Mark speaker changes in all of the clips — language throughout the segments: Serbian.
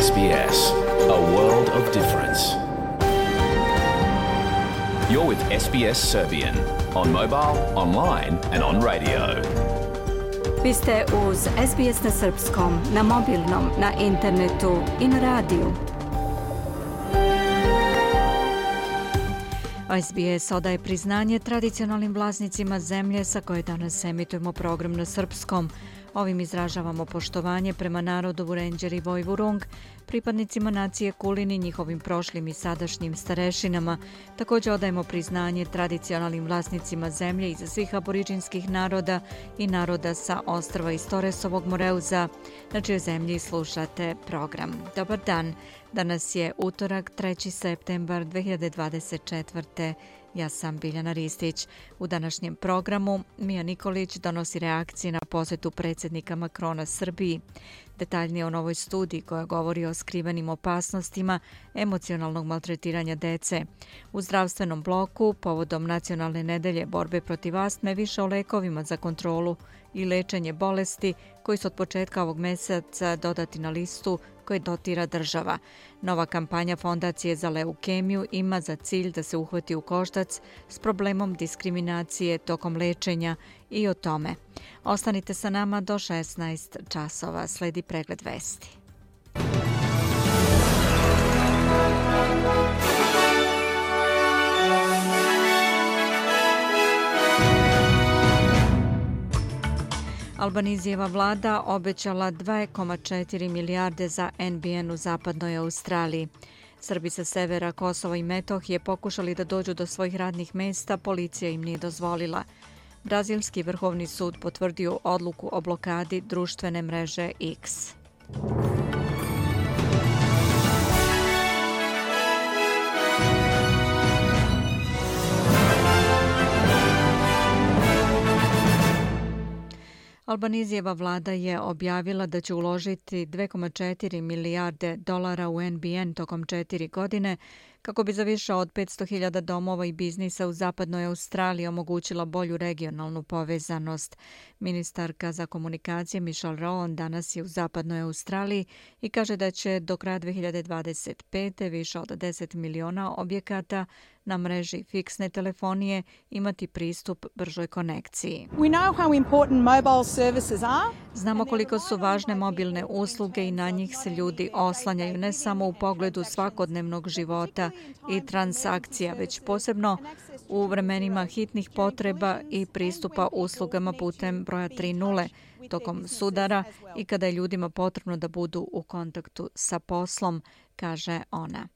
Speaker 1: SBS, a world of difference. You're with SBS Serbian on mobile, online and on radio.
Speaker 2: Vi ste uz SBS na srpskom, na mobilnom, na internetu i na radiju. SBS odaje priznanje tradicionalnim vlasnicima zemlje sa koje danas emitujemo program na srpskom. Ovim izražavamo poštovanje prema narodu Vurenđer i Vojvurung, pripadnicima nacije Kulin i njihovim prošlim i sadašnjim starešinama. Također odajemo priznanje tradicionalnim vlasnicima zemlje iza svih aboriđinskih naroda i naroda sa ostrva iz Toresovog Moreuza, na čijoj zemlji slušate program. Dobar dan, danas je utorak 3. septembar 2024. Ja sam Biljana Ristić. U današnjem programu Mija Nikolić donosi reakcije na posjetu predsjednika Macrona Srbiji. Detaljnije o novoj studiji koja govori o skrivenim opasnostima emocionalnog maltretiranja dece. U zdravstvenom bloku, povodom Nacionalne nedelje borbe protiv astme, više o lekovima za kontrolu i lečenje bolesti koji su od početka ovog mjeseca dodati na listu koje dotira država. Nova kampanja Fondacije za leukemiju ima za cilj da se uhvati u koštac s problemom diskriminacije tokom lečenja i o tome. Ostanite sa nama do 16 časova. Sledi pregled vesti. Albanizijeva vlada obećala 2,4 milijarde za NBN u zapadnoj Australiji. Srbi sa severa Kosova i Metohije pokušali da dođu do svojih radnih mjesta, policija im nije dozvolila. Brazilski vrhovni sud potvrdio odluku o blokadi društvene mreže X. Albanizijeva vlada je objavila da će uložiti 2,4 milijarde dolara u NBN tokom 4 godine kako bi za više od 500.000 domova i biznisa u zapadnoj Australiji omogućila bolju regionalnu povezanost. Ministarka za komunikacije Michelle Rowland danas je u zapadnoj Australiji i kaže da će do kraja 2025. više od 10 miliona objekata na mreži fiksne telefonije imati pristup bržoj konekciji. Znamo koliko su važne mobilne usluge i na njih se ljudi oslanjaju ne samo u pogledu svakodnevnog života i transakcija, već posebno u vremenima hitnih potreba i pristupa uslugama putem broja 30 tokom sudara i kada je ljudima potrebno da budu u kontaktu sa poslom, kaže ona.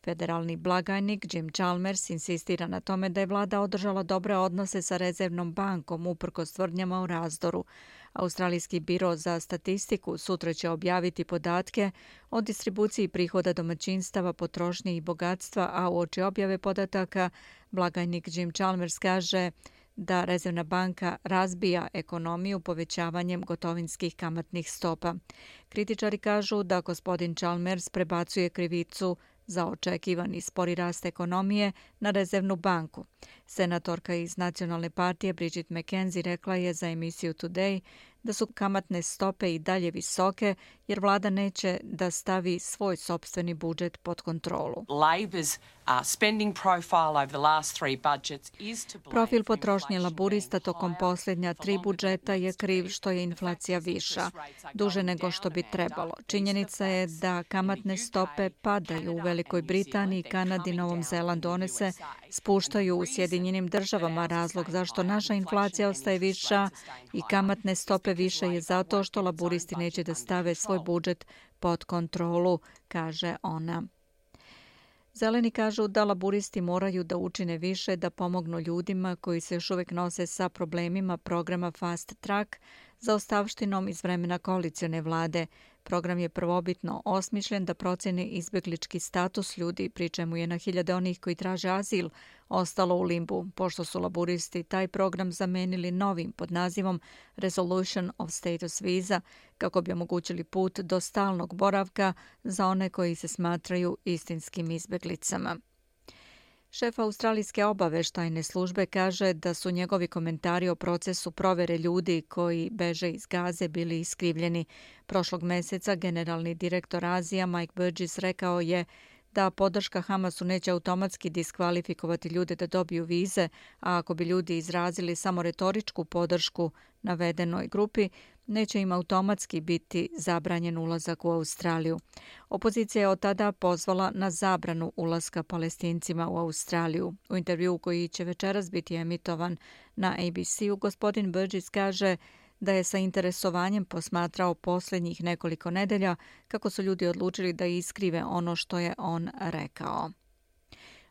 Speaker 2: Federalni blagajnik Jim Chalmers insistira na tome da je vlada održala dobre odnose sa rezervnom bankom uprkos tvrdnjama o razdoru. Australijski biro za statistiku sutra će objaviti podatke o distribuciji prihoda domaćinstava, potrošnje i bogatstva, a uoči objave podataka blagajnik Jim Chalmers kaže da rezervna banka razbija ekonomiju povećavanjem gotovinskih kamatnih stopa. Kritičari kažu da gospodin Chalmers prebacuje krivicu za očekivani spori rast ekonomije na rezervnu banku. Senatorka iz Nacionalne partije Bridget McKenzie rekla je za emisiju Today da su kamatne stope i dalje visoke jer vlada neće da stavi svoj sopstveni budžet pod kontrolu. Profil potrošnje laburista tokom posljednja 3 budžeta je kriv što je inflacija viša, duže nego što bi trebalo. Činjenica je da kamatne stope padaju u Velikoj Britaniji, Kanadi i Novom Zelandu. One se spuštaju u Sjedinjenim državama. Razlog zašto naša inflacija ostaje viša i kamatne stope više je zato što laburisti neće da stave svoj budžet pod kontrolu, kaže ona. Zeleni kažu da laburisti moraju da učine više da pomognu ljudima koji se još uvijek nose sa problemima programa Fast Track za ostavštinom iz vremena koalicione vlade. Program je prvobitno osmišljen da proceni izbjeglički status ljudi, pri čemu je na hiljade onih koji traže azil ostalo u limbu, pošto su laburisti taj program zamenili novim pod nazivom Resolution of Status Visa, kako bi omogućili put do stalnog boravka za one koji se smatraju istinskim izbjeglicama. Šef australijske obaveštajne službe kaže da su njegovi komentari o procesu provere ljudi koji beže iz Gaze bili iskrivljeni. Prošlog meseca generalni direktor Azija Mike Burgess rekao je da podrška Hamasu neće automatski diskvalifikovati ljude da dobiju vize, a ako bi ljudi izrazili samo retoričku podršku navedenoj grupi, neće im automatski biti zabranjen ulazak u Australiju. Opozicija je od tada pozvala na zabranu ulaska Palestincima u Australiju. U intervjuu koji će večeras biti emitovan na ABC-u, gospodin Burgess kaže da je sa interesovanjem posmatrao posljednjih nekoliko nedelja kako su ljudi odlučili da iskrive ono što je on rekao.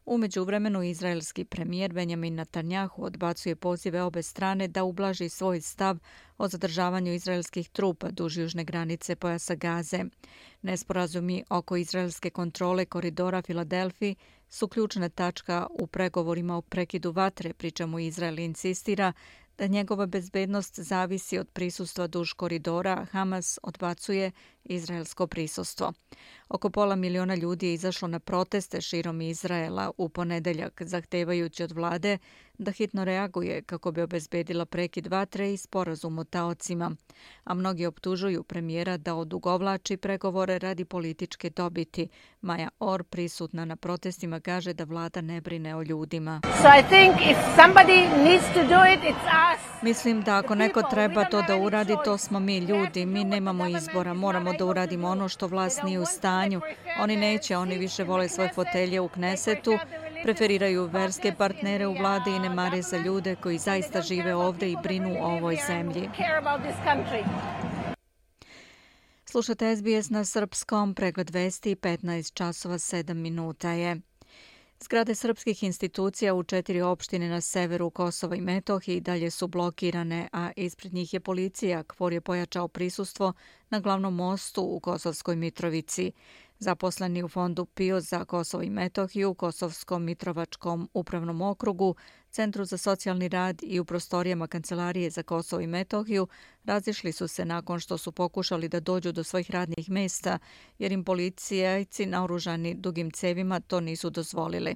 Speaker 2: U međuvremenu, izraelski premijer Benjamin Netanjahu odbacuje pozive obe strane da ublaži svoj stav o zadržavanju izraelskih trupa duž južne granice pojasa Gaze. Nesporazumi oko izraelske kontrole koridora Filadelfiji su ključna tačka u pregovorima o prekidu vatre, pri čemu Izrael insistira da njegova bezbednost zavisi od prisustva duž koridora. Hamas odbacuje izraelsko prisustvo. Oko 500.000 ljudi je izašlo na proteste širom Izraela u ponedeljak, zahtevajući od vlade da hitno reaguje kako bi obezbedila prekid vatre i sporazum o taocima. A mnogi optužuju premijera da odugovlači pregovore radi političke dobiti. Maja Or, prisutna na protestima, kaže da vlada ne brine o ljudima. Mislim da ako neko treba to da uradi, to smo mi ljudi. Mi nemamo izbora. Moramo da uradimo ono što vlast nije u stanju. Oni neće, oni više vole svoje fotelje u Knesetu, preferiraju verske partnere u vladi i ne mare za ljude koji zaista žive ovde i brinu o ovoj zemlji. Slušate SBS na srpskom, pregled vesti 15 časova 7 minuta je. Zgrade srpskih institucija u 4 opštine na severu Kosova i Metohije dalje su blokirane, a ispred njih je policija. KFOR je pojačao prisustvo na glavnom mostu u Kosovskoj Mitrovici. Zaposleni u fondu PIO za Kosovo i Metohiju, u Kosovskom Mitrovačkom upravnom okrugu, Centru za socijalni rad i u prostorijama Kancelarije za Kosovo i Metohiju razišli su se nakon što su pokušali da dođu do svojih radnih mjesta, jer im policajci naoružani dugim cevima to nisu dozvolili.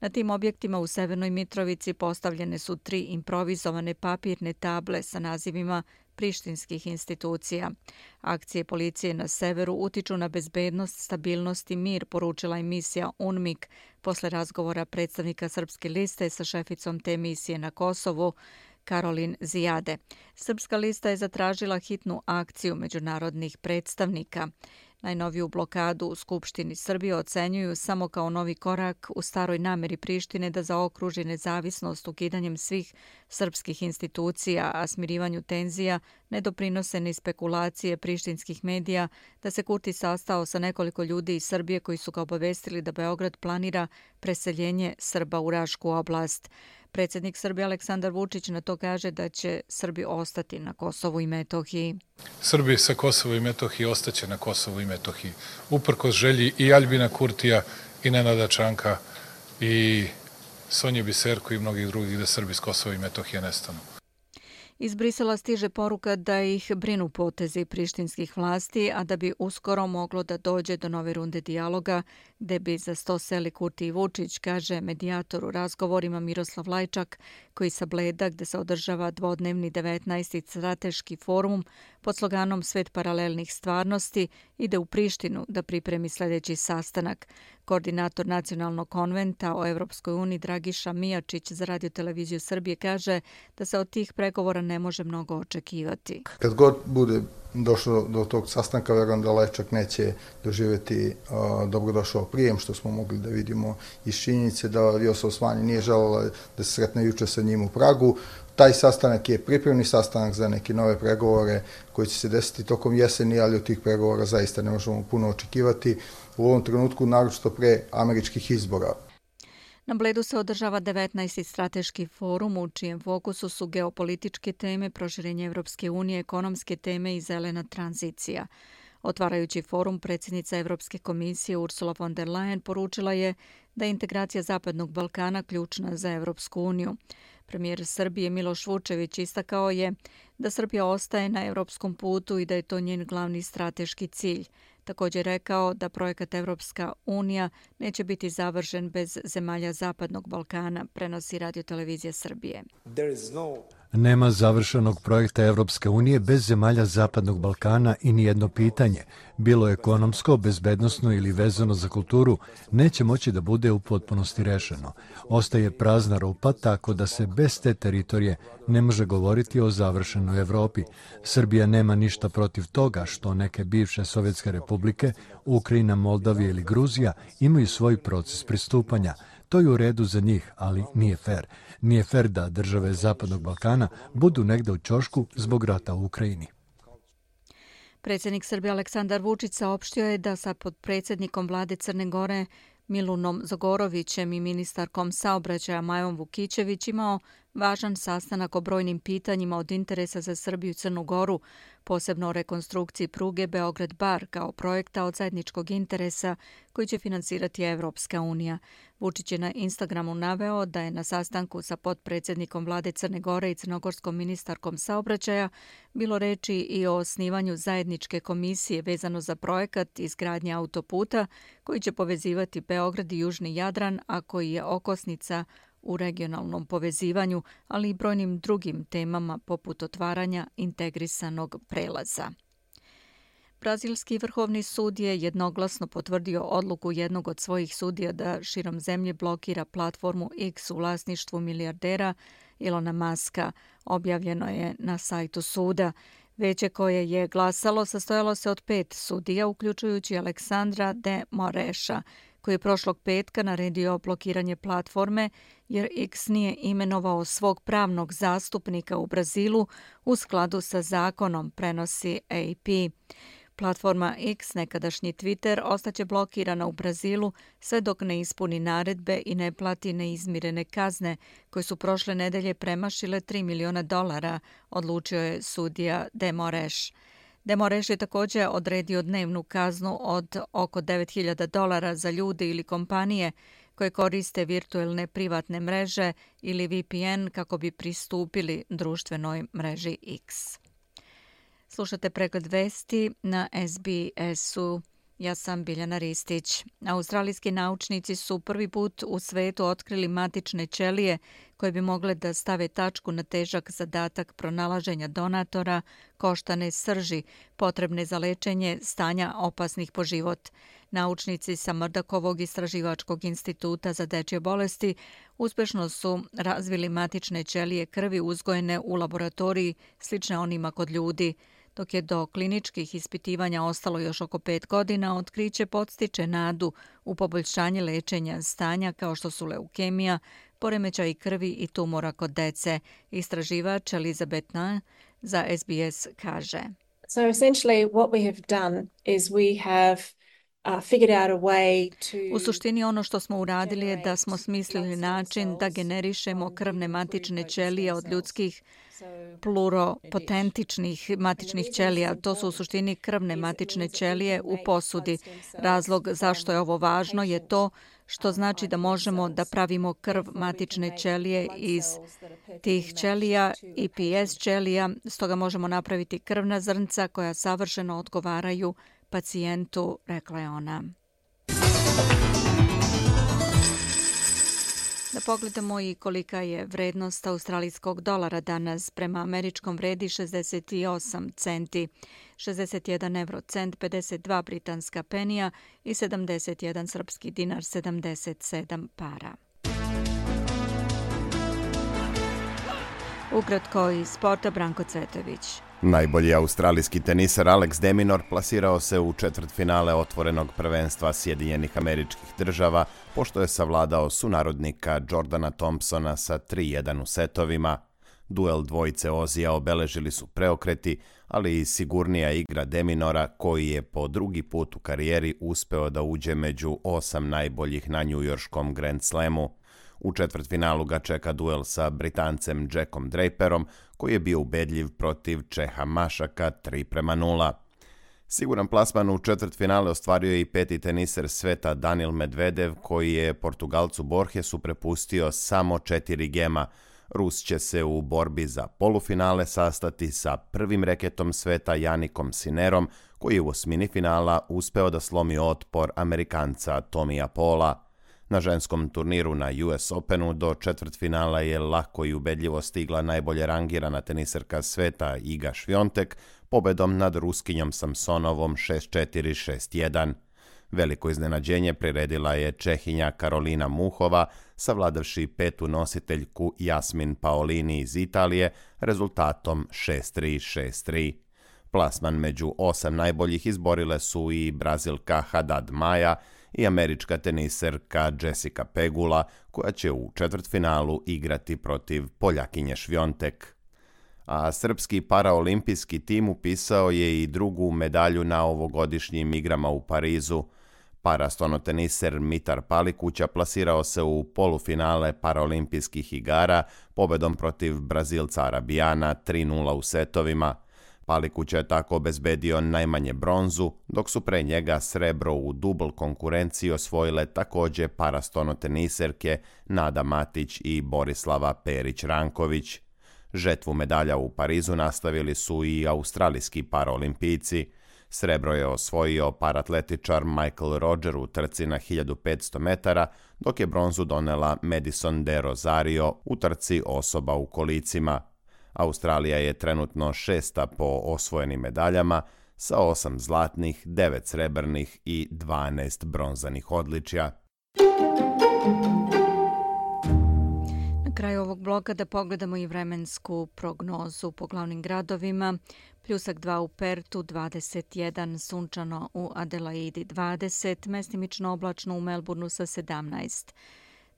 Speaker 2: Na tim objektima u Severnoj Mitrovici postavljene su 3 improvizovane papirne table sa nazivima prištinskih institucija. Akcije policije na severu utiču na bezbednost, stabilnost i mir, poručila emisija UNMIK posle razgovora predstavnika Srpske liste sa šeficom te emisije na Kosovu, Karolin Zijade. Srpska lista je zatražila hitnu akciju međunarodnih predstavnika. Najnoviju blokadu u Skupštini Srbije ocenjuju samo kao novi korak u staroj nameri Prištine da zaokruži nezavisnost ukidanjem svih srpskih institucija, a smirivanju tenzija ne doprinose ni spekulacije prištinskih medija da se Kurti sastao sa nekoliko ljudi iz Srbije koji su ga obavestili da Beograd planira preseljenje Srba u Rašku oblast. Predsjednik Srbije Aleksandar Vučić na to kaže da će Srbi ostati na Kosovu i Metohiji.
Speaker 3: Srbi sa Kosova i Metohije ostaće na Kosovu i Metohiji. Uprkos želji i Aljbina Kurtija i Nenada Čanka i Sonje Biserko i mnogih drugih da Srbi s Kosova i Metohije nestanu.
Speaker 2: Iz Brisela stiže poruka da ih brinu potezi prištinskih vlasti, a da bi uskoro moglo da dođe do nove runde dijaloga, gde bi za sto seli Kurti i Vučić, kaže medijator u razgovorima Miroslav Lajčak, koji sa Bleda, gde se održava dvodnevni 19. strateški forum pod sloganom Svet paralelnih stvarnosti, ide u Prištinu da pripremi sljedeći sastanak. Koordinator Nacionalnog konventa o Evropskoj uniji Dragiša Mijačić za Radio-televiziju Srbije kaže da se od tih pregovora ne može mnogo očekivati.
Speaker 4: Kad god bude došlo do tog sastanka, verujem da Lajčak neće doživjeti dobrodošao prijem, što smo mogli da vidimo iz činjenice da Vjosa Osmani nije želela da se sretne juče sa njim u Pragu. Taj sastanak je pripremni sastanak za neke nove pregovore koji će se desiti tokom jeseni, ali od tih pregovora zaista ne možemo puno očekivati u ovom trenutku, naročito pre američkih izbora.
Speaker 2: Na Bledu se održava 19. strateški forum u čijem fokusu su geopolitičke teme, proširenje Evropske unije, ekonomske teme i zelena tranzicija. Otvarajući forum, predsjednica Evropske komisije Ursula von der Leyen poručila je da je integracija Zapadnog Balkana ključna za Evropsku uniju. Premijer Srbije Miloš Vučević istakao je da Srbija ostaje na evropskom putu i da je to njen glavni strateški cilj. Također rekao da projekat Evropska unija neće biti završen bez zemalja Zapadnog Balkana, prenosi Radio-televizija Srbije.
Speaker 5: Nema završenog projekta Evropske unije bez zemalja Zapadnog Balkana i nijedno pitanje, bilo ekonomsko, bezbednosno ili vezano za kulturu, neće moći da bude u potpunosti rešeno. Ostaje prazna rupa, tako da se bez te teritorije ne može govoriti o završenoj Evropi. Srbija nema ništa protiv toga što neke bivše sovjetske republike, Ukrajina, Moldavija ili Gruzija, imaju svoj proces pristupanja. To je u redu za njih, ali nije fer. Nije fer da države Zapadnog Balkana budu negde u ćošku zbog rata u Ukrajini.
Speaker 2: Predsjednik Srbije Aleksandar Vučić saopštio je da sa potpredsjednikom vlade Crne Gore Milunom Zagorovićem i ministarkom saobraćaja Majom Vukićević imao važan sastanak o brojnim pitanjima od interesa za Srbiju i Crnu Goru, posebno o rekonstrukciji pruge Beograd-Bar kao projekta od zajedničkog interesa koji će finansirati Evropska unija. Vučić je na Instagramu naveo da je na sastanku sa potpredsjednikom vlade Crne Gore i crnogorskom ministarkom saobraćaja bilo reči i o osnivanju zajedničke komisije vezano za projekat izgradnje autoputa koji će povezivati Beograd i Južni Jadran, a koji je okosnica u regionalnom povezivanju, ali i brojnim drugim temama poput otvaranja integrisanog prelaza. Brazilski vrhovni sud je jednoglasno potvrdio odluku jednog od svojih sudija da širom zemlje blokira platformu X u vlasništvu milijardera Ilona Maska, objavljeno je na sajtu suda. Veće koje je glasalo sastojalo se od 5 sudija, uključujući Aleksandra de Moreša, koji je prošlog petka naredio blokiranje platforme jer X nije imenovao svog pravnog zastupnika u Brazilu u skladu sa zakonom, prenosi AP. Platforma X, nekadašnji Twitter, ostaće blokirana u Brazilu sve dok ne ispuni naredbe i ne plati neizmirene kazne koje su prošle nedelje premašile $3 miliona, odlučio je sudija de Moreš. De Moreš je također odredio dnevnu kaznu od oko $9.000 za ljude ili kompanije koje koriste virtuelne privatne mreže ili VPN kako bi pristupili društvenoj mreži X. Slušate pregled vesti na SBS-u. Ja sam Biljana Ristić. Australijski naučnici su prvi put u svetu otkrili matične ćelije koje bi mogle da stave tačku na težak zadatak pronalaženja donatora koštane srži potrebne za lečenje stanja opasnih po život. Naučnici sa Mrdakovog istraživačkog instituta za dečje bolesti uspešno su razvili matične ćelije krvi uzgojene u laboratoriji slične onima kod ljudi. Dok je do kliničkih ispitivanja ostalo još oko 5 godina, otkriće podstiče nadu u poboljšanje lečenja stanja kao što su leukemija, poremećaj krvi i tumora kod dece. Istraživač Elizabeth Na za SBS kaže.
Speaker 6: So essentially what we have done is we have
Speaker 2: U suštini ono što smo uradili je da smo smislili način da generišemo krvne matične ćelije od ljudskih pluropotentičnih matičnih ćelija. To su u suštini krvne matične ćelije u posudi. Razlog zašto je ovo važno je to što znači da možemo da pravimo krv matične ćelije iz tih ćelija i PS ćelija, stoga možemo napraviti krvna zrnca koja savršeno odgovaraju pacijentu, rekla je ona. Da pogledamo i kolika je vrednost australijskog dolara danas. Prema američkom vredi 68 centi, 61 eurocent, 52 britanska penija i 71 srpski dinar, 77 para. Ukratko iz sporta, Branko Cvetović.
Speaker 7: Najbolji australijski teniser Alex de Minaur plasirao se u četvrtfinale otvorenog prvenstva Sjedinjenih Američkih Država, pošto je savladao sunarodnika Jordana Thompsona sa 3-1 u setovima. Duel dvojice Ozija obeležili su preokreti, ali i sigurnija igra de Minaura, koji je po drugi put u karijeri uspeo da uđe među 8 najboljih na njujorškom Grand Slamu. U četvrtfinalu ga čeka duel sa Britancem Jackom Draperom, koji je bio ubedljiv protiv Čeha Mašaka 3-0. Siguran plasman u četvrtfinale ostvario je i peti teniser sveta Daniil Medvedev, koji je Portugalcu Borgesu prepustio samo 4 gema. Rus će se u borbi za polufinale sastati sa prvim reketom sveta Janikom Sinerom, koji je u osmini finala uspeo da slomi otpor Amerikanca Tomija Paula. Na ženskom turniru na US Openu do četvrtfinala je lako i ubedljivo stigla najbolje rangirana teniserka sveta Iga Šviontek pobedom nad Ruskinjom Samsonovom 6-4, 6-1. Veliko iznenađenje priredila je Čehinja Karolina Muhova, savladavši petu nositeljku Jasmin Paolini iz Italije rezultatom 6-3, 6-3. Plasman među 8 najboljih izborile su i Brazilka Haddad Maja i američka teniserka Jessica Pegula, koja će u četvrtfinalu igrati protiv Poljakinje Šviontek. A srpski paraolimpijski tim upisao je i drugu medalju na ovogodišnjim igrama u Parizu. Parastonoteniser Mitar Palikuća plasirao se u polufinale paraolimpijskih igara pobedom protiv Brazilca Arabijana 3-0 u setovima. Palikuća je tako obezbedio najmanje bronzu, dok su pre njega srebro u dubl konkurenciji osvojile takođe parastonoteniserke Nada Matić i Borislava Perić-Ranković. Žetvu medalja u Parizu nastavili su i australijski paraolimpijci. Srebro je osvojio paratletičar Michael Roger u trci na 1500 metara, dok je bronzu donela Madison de Rosario u trci osoba u kolicima. Australija je trenutno 6. po osvojenim medaljama sa 8 zlatnih, 9 srebrnih i 12 bronzanih odličja.
Speaker 2: Na kraju ovog bloka da pogledamo i vremensku prognozu po glavnim gradovima. Pljusak 2 u Pertu, 21, sunčano u Adelaidi 20, mestimično oblačno u Melbourneu sa 17.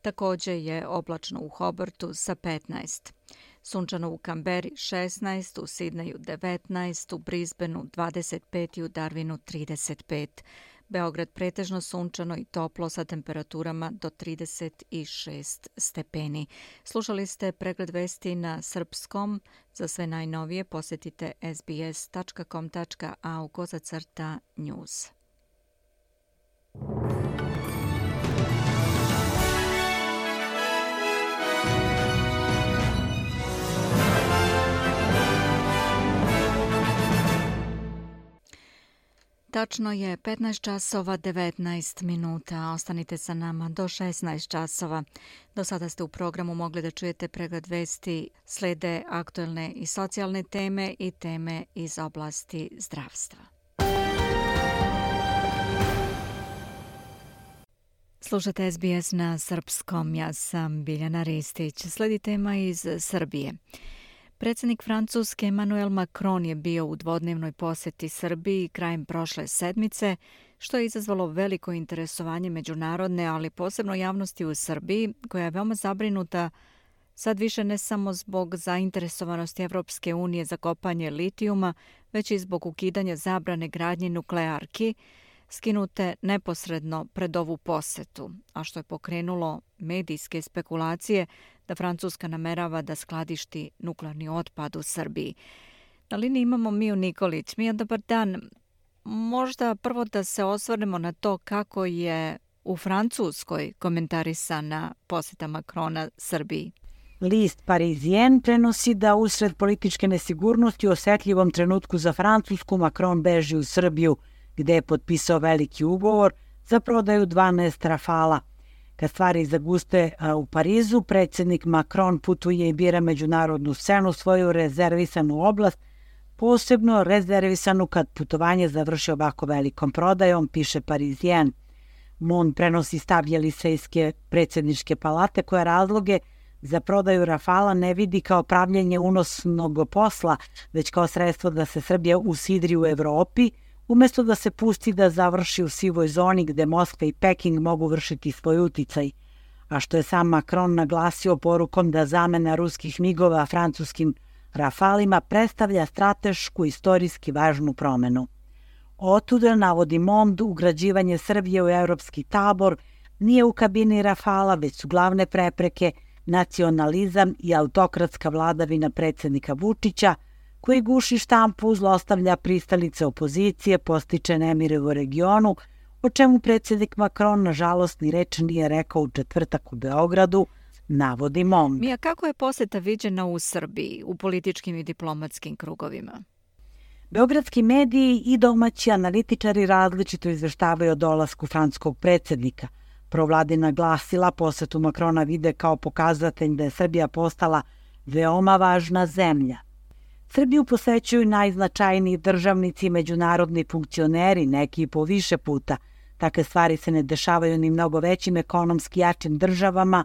Speaker 2: Također je oblačno u Hobartu sa 15. Sunčano u Kamberi 16, u Sidneju 19, u Brisbaneu 25 i u Darwinu 35. Beograd pretežno sunčano i toplo sa temperaturama do 36 stepeni. Slušali ste pregled vesti na srpskom. Za sve najnovije posjetite sbs.com.au/news. Tačno je 15 časova 19 minuta. Ostanite sa nama do 16 časova. Do sada ste u programu mogli da čujete pregled vesti, slede aktuelne i socijalne teme i teme iz oblasti zdravstva. Slušate SBS na srpskom. Ja sam Biljana Ristić. Sledi tema iz Srbije. Predsjednik Francuske Emmanuel Macron je bio u dvodnevnoj posjeti Srbiji krajem prošle sedmice, što je izazvalo veliko interesovanje međunarodne, ali posebno javnosti u Srbiji, koja je veoma zabrinuta sad više ne samo zbog zainteresovanosti Evropske unije za kopanje litijuma, već i zbog ukidanja zabrane gradnje nuklearki, skinute neposredno pred ovu posjetu, a što je pokrenulo medijske spekulacije da Francuska namerava da skladišti nuklearni otpad u Srbiji. Na liniji imamo Miju Nikolić. Mija, dobar dan. Možda prvo da se osvrnemo na to kako je u Francuskoj komentarisana posjeta Macrona Srbiji.
Speaker 8: List Parisien prenosi da usred političke nesigurnosti u osetljivom trenutku za Francusku Macron beži u Srbiju, gde je potpisao veliki ugovor za prodaju 12 Rafala. Kad stvari zaguste u Parizu, predsjednik Macron putuje i bira međunarodnu scenu, svoju rezervisanu oblast, posebno rezervisanu kad putovanje završi ovako velikom prodajom, piše Parisien. Mon prenosi stav Jelisejske predsjedničke palate, koja razloge za prodaju Rafala ne vidi kao pravljenje unosnog posla, već kao sredstvo da se Srbija usidri u Evropi, umjesto da se pusti da završi u sivoj zoni gde Moskva i Peking mogu vršiti svoj uticaj, a što je sam Macron naglasio porukom da zamena ruskih migova francuskim Rafalima predstavlja stratešku istorijski važnu promenu. Otuda, navodi Mond, ugrađivanje Srbije u evropski tabor nije u kabini Rafala, već su glavne prepreke nacionalizam i autokratska vladavina predsjednika Vučića, koji guši štampu, zlostavlja pristalice opozicije, postiče nemire u regionu, o čemu predsjednik Macron nažalost ni reč nije rekao u četvrtak u Beogradu, navodi Mong.
Speaker 2: Mija, kako je poseta viđena u Srbiji, u političkim i diplomatskim krugovima?
Speaker 8: Beogradski mediji i domaći analitičari različito izveštavaju o dolasku francuskog predsjednika. Provladina glasila posetu Makrona vide kao pokazatelj da je Srbija postala veoma važna zemlja. Srbiju posećuju najznačajniji državnici i međunarodni funkcioneri, neki i po više puta. Takve stvari se ne dešavaju ni mnogo većim ekonomski jačim državama.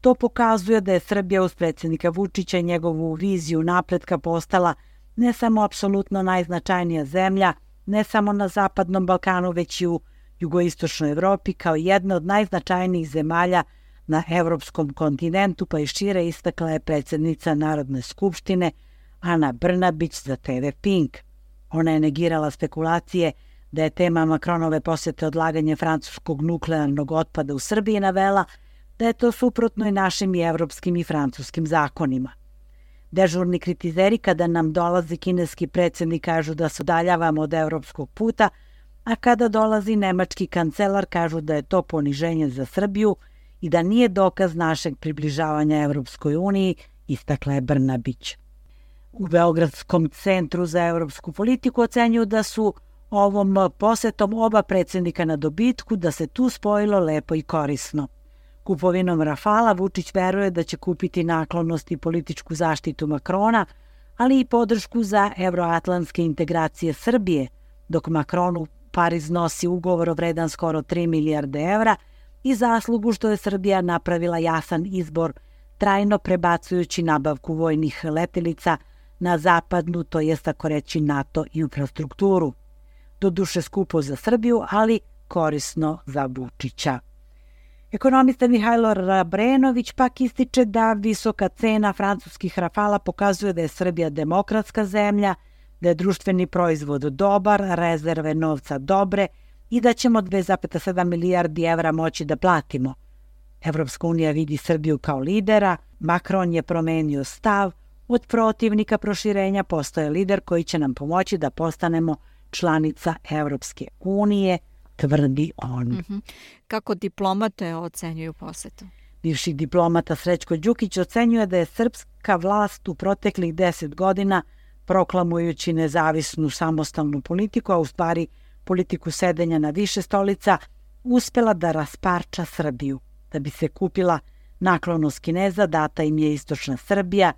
Speaker 8: To pokazuje da je Srbija uz predsjednika Vučića i njegovu viziju napretka postala ne samo apsolutno najznačajnija zemlja, ne samo na Zapadnom Balkanu, već i u jugoistočnoj Evropi kao jedna od najznačajnijih zemalja na evropskom kontinentu, pa i šire, istakla je predsjednica Narodne skupštine Ana Brnabić za TV Pink. Ona je negirala spekulacije da je tema Makronove posjete odlaganje francuskog nuklearnog otpada u Srbiji, navela da je to suprotno i našim i evropskim i francuskim zakonima. Dežurni kritizeri kada nam dolazi kineski predsjednik kažu da se udaljavamo od evropskog puta, a kada dolazi nemački kancelar kažu da je to poniženje za Srbiju i da nije dokaz našeg približavanja Evropskoj uniji, istakla je Brnabić. U Beogradskom centru za evropsku politiku ocenjuju da su ovom posetom oba predsjednika na dobitku, da se tu spojilo lepo i korisno. Kupovinom Rafala Vučić veruje da će kupiti naklonost i političku zaštitu Makrona, ali i podršku za evroatlantske integracije Srbije, dok Makronu Pariz nosi ugovor vredan skoro 3 milijarde evra i zaslugu što je Srbija napravila jasan izbor, trajno prebacujući nabavku vojnih letelica na zapadnu, to jest tako reći NATO infrastrukturu. Doduše skupo za Srbiju, ali korisno za Vučića. Ekonomista Mihajlo Rabrenović pak ističe da visoka cena francuskih Rafala pokazuje da je Srbija demokratska zemlja, da je društveni proizvod dobar, rezerve novca dobre i da ćemo 2,7 milijardi evra moći da platimo. Evropska unija vidi Srbiju kao lidera, Makron je promenio stav, od protivnika proširenja postoje lider koji će nam pomoći da postanemo članica Evropske unije, tvrdi on.
Speaker 2: Kako diplomate ocenjuju posetu?
Speaker 8: Bivši diplomata Srećko Đukić ocenjuje da je srpska vlast u proteklih 10 godina, proklamujući nezavisnu samostalnu politiku, a u stvari politiku sedenja na više stolica, uspela da rasparča Srbiju. Da bi se kupila naklonost Kineza, data im je istočna Srbija,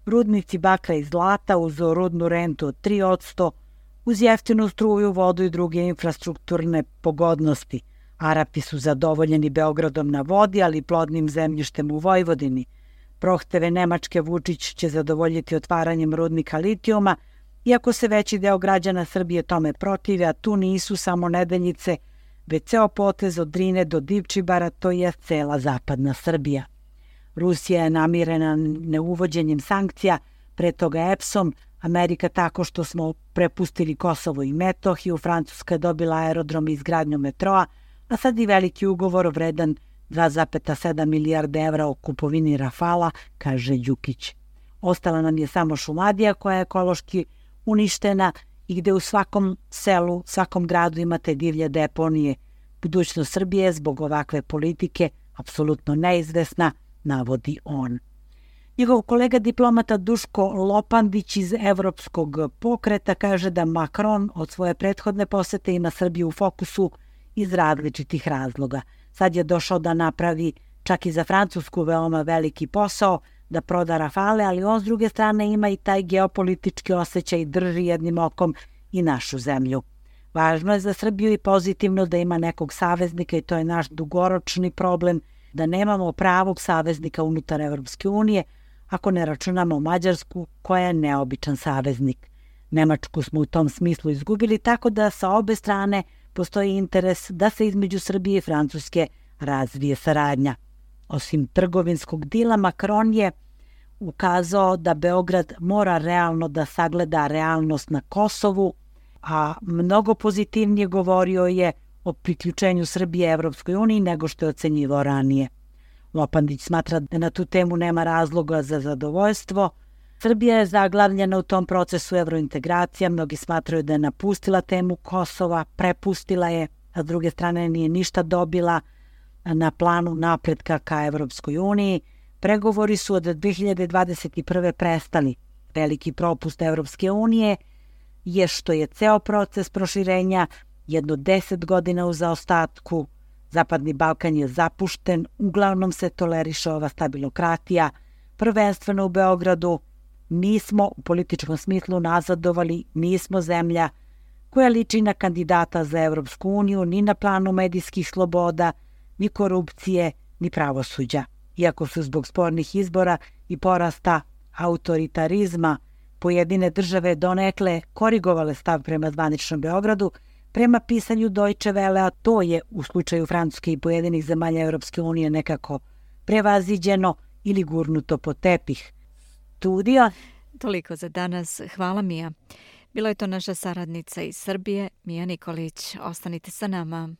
Speaker 8: rudnici bakra i zlata uz rudnu rentu od 3%, uz jeftinu struju, vodu i druge infrastrukturne pogodnosti. Arapi su zadovoljeni Beogradom na vodi, ali i plodnim zemljištem u Vojvodini. Prohteve Nemačke Vučić će zadovoljiti otvaranjem rudnika litijuma, iako se veći deo građana Srbije tome protive, a tu nisu samo Nedeljice, već ceo potez od Drine do Divčibara, to je cela zapadna Srbija. Rusija je namirena neuvođenjem sankcija, pre toga EPS-om, Amerika tako što smo prepustili Kosovo i Metohiju, Francuska je dobila aerodrom i izgradnju metroa, a sad i veliki ugovor vredan 2,7 milijarde evra o kupovini Rafala, kaže Đukić. Ostala nam je samo Šumadija koja je ekološki uništena i gde u svakom selu, svakom gradu imate divlje deponije. Budućnost Srbije zbog ovakve politike apsolutno neizvesna, navodi on. Njegov kolega diplomata Duško Lopandić iz Evropskog pokreta kaže da Makron od svoje prethodne posete ima Srbiju u fokusu iz različitih razloga. Sad je došao da napravi čak i za Francusku veoma veliki posao, da proda Rafale, ali on s druge strane ima i taj geopolitički osjećaj i drži jednim okom i našu zemlju. Važno je za Srbiju i pozitivno da ima nekog saveznika i to je naš dugoročni problem, da nemamo pravog saveznika unutar Evropske unije, ako ne računamo Mađarsku koja je neobičan saveznik. Nemačku smo u tom smislu izgubili, tako da sa obe strane postoji interes da se između Srbije i Francuske razvije saradnja. Osim trgovinskog dila, Makron je ukazao da Beograd mora realno da sagleda realnost na Kosovu, a mnogo pozitivnije govorio je o priključenju Srbije Evropskoj uniji nego što je ocenjivao ranije. Lopandić smatra da na tu temu nema razloga za zadovoljstvo. Srbija je zaglavljena u tom procesu evrointegracija, mnogi smatraju da je napustila temu Kosova, prepustila je, a s druge strane nije ništa dobila na planu napretka ka Evropskoj uniji. Pregovori su od 2021. prestali. Veliki propust Evropske unije je što je ceo proces proširenja jedno 10 godina u zaostatku. Zapadni Balkan je zapušten, uglavnom se toleriše ova stabilokratija, prvenstveno u Beogradu. Nismo u političkom smislu nazadovali, nismo zemlja koja liči na kandidata za Evropsku uniju ni na planu medijskih sloboda, ni korupcije, ni pravosuđa. Iako su zbog spornih izbora i porasta autoritarizma pojedine države donekle korigovale stav prema zvaničnom Beogradu, prema pisanju Deutsche Welle, a to je u slučaju Francuske i pojedinih zemalja Europske unije nekako prevaziđeno ili gurnuto pod tepih. Studio.
Speaker 2: Toliko za danas. Hvala, Mija. Bila je to naša saradnica iz Srbije, Mija Nikolić. Ostanite sa nama.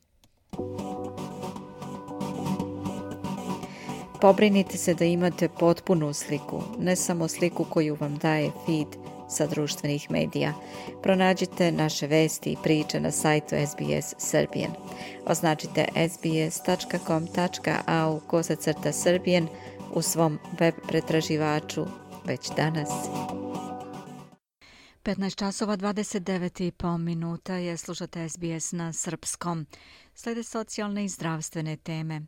Speaker 2: Pobrinite se da imate potpunu sliku, ne samo sliku koju vam daje feed sa društvenih medija. Pronađite naše vesti i priče na sajtu SBS Serbian. Označite sbs.com.au/Serbian u svom web pretraživaču već danas. 15 časova 29,5 minuta je, slušate SBS na srpskom. Slede socijalne i zdravstvene teme.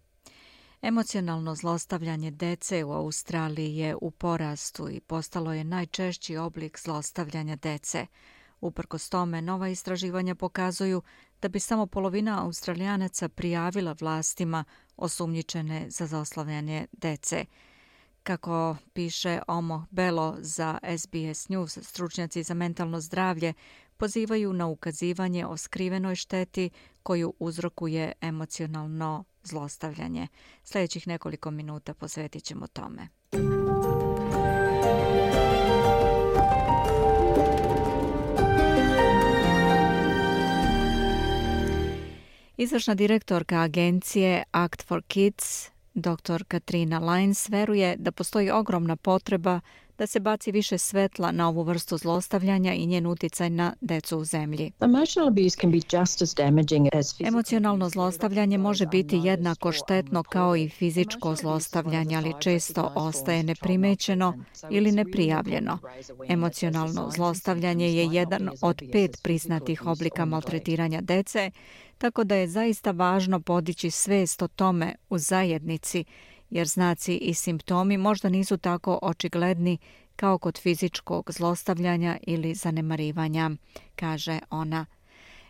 Speaker 2: Emocionalno zlostavljanje dece u Australiji je u porastu i postalo je najčešći oblik zlostavljanja dece. Uprkos tome, nova istraživanja pokazuju da bi samo polovina Australijanaca prijavila vlastima osumnjičene za zlostavljanje dece. Kako piše Omo Belo za SBS News, stručnjaci za mentalno zdravlje pozivaju na ukazivanje o skrivenoj šteti koju uzrokuje emocionalno zlostavljanje. Sljedećih nekoliko minuta posvetit ćemo tome. Izvršna direktorka agencije Act for Kids, dr. Katrina Lyons, veruje da postoji ogromna potreba da se baci više svetla na ovu vrstu zlostavljanja i njen uticaj na decu u zemlji. Emocionalno zlostavljanje može biti jednako štetno kao i fizičko zlostavljanje, ali često ostaje neprimećeno ili neprijavljeno. Emocionalno zlostavljanje je jedan od 5 priznatih oblika maltretiranja dece, tako da je zaista važno podići svest o tome u zajednici, jer znaci i simptomi možda nisu tako očigledni kao kod fizičkog zlostavljanja ili zanemarivanja, kaže ona.